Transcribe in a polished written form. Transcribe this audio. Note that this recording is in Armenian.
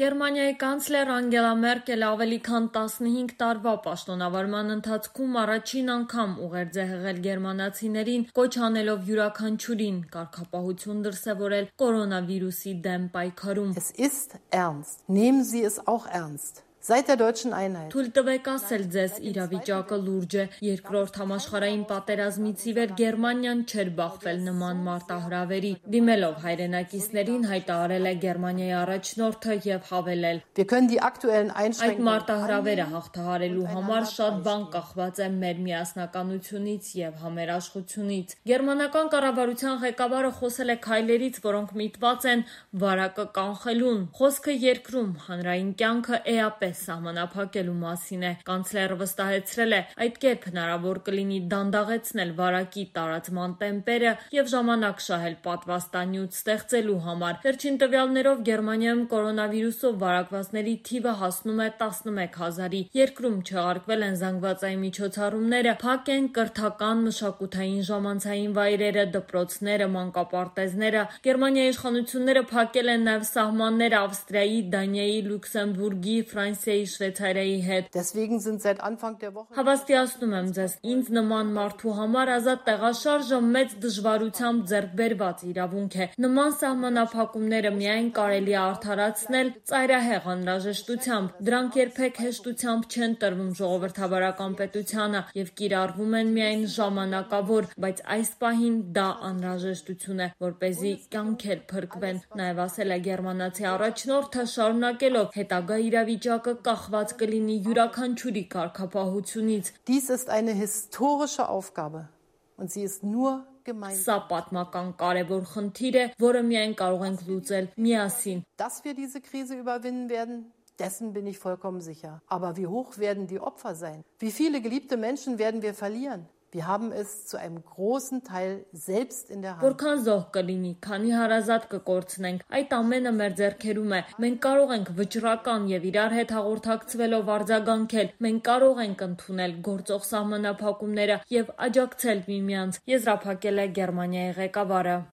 Գերմանիայի կանցլեր Անգելա Մերկելը ավելի քան 15 տարվա պաշտոնավարման ընթացքում առաջին անգամ ուղերձ է հղել գերմանացիներին, կոչ անելով յուրաքանչյուրին կարգապահություն դրսևորել կորոնավիրուսի դեմ պայքարում։ Es ist ernst. Nehmen Sie es auch ernst. Seit der deutschen Einheit. Թույլ տվեք ասել ձեզ, իրավիճակը լուրջ է։ Երկրորդ համաշխարհային պատերազմից ի վեր Գերմանիան չէր բախվել նման մարտահրավերի։ Դիմելով հայրենակիցներին հայտարարել է Գերմանիայի առաջնորդը եւ հավելել. Wir können die aktuellen Այդ Einschränkungen մարտահրավերը հաղթահարելու համար շատ բան կախված է մեր միասնականությունից եւ համերաշխությունից։ Գերմանական կառավարության ղեկավարը խոսել է քայլերից, որոնք միտված են վարակը կանխելուն։ Խոսքը երկրում հանրային կյանքը էապես սահմանափակելու մասին է։ Կանցլերը վստահեցրել է, այդ կերպ հնարավոր կլինի դանդաղեցնել վարակի տարածման տեմպերը եւ ժամանակ շահել պատվաստանյութ ստեղծելու համար։ Վերջին տվյալներով Գերմանիայում կորոնավիրուսով վարակվածների թիվը հասնում է 11,000-ի։ Երկրում չեղարկվել են զանգվածային միջոցառումները, փակ են կրթական, մշակութային, ժամանցային վայրերը, դպրոցները, մանկապարտեզները։ Գերմանիայի իշխանությունները փակել են նաեւ սահմանները Ավստրիայի, Դանիայի, Լյուքսեմբուրգի, Ֆրանսիայի, Շվեյցարիայի հետ։ Deswegen sind seit Anfang der Woche Հավաստիացնում եմ ձեզ, ինձ նման մարդու համար ազատ տեղաշարժը մեծ դժվարությամբ ձեռք բերված իրավունք է։ Նման սահմանափակումները միայն կարելի է արդարացնել ծայրահեղ անհրաժեշտությամբ։ Դրանք երբեք հեշտությամբ չեն տրվում ժողովրդավարական պետությանը եւ կիրառվում են միայն ժամանակավոր, բայց այս պահին դա անհրաժեշտություն է, որպեսզի կյանքեր փրկվեն։ Նաեւ ասել է գերմանացի առաջնորդը, շարունակելով հետագա իրավիճակը կախված կլինի յուրաքանչյուրի կարգապահությունից։ Dies ist eine historische Aufgabe und sie ist nur gemeinsam. Սա պատմական կարևոր խնդիր է, որը միայն կարող ենք լուծել միասին։ Dass wir diese Krise überwinden werden, dessen bin ich vollkommen sicher. Aber wie hoch werden die Opfer sein? Wie viele geliebte Menschen werden wir verlieren? Wir haben es zu einem großen Teil selbst in der Hand. Որքան զոհ կլինի, քանի հարազատ կկորցնենք, այդ ամենը մեր ձեռքերում է։ Մենք կարող ենք վճռական եւ իրար հետ հաղորդակցվելով արձագանքել։ Մենք կարող ենք ընդունել գործող սահմանափակումները եւ աջակցել միմյանց, եզրափակել է Գերմանիայի ղեկավարը։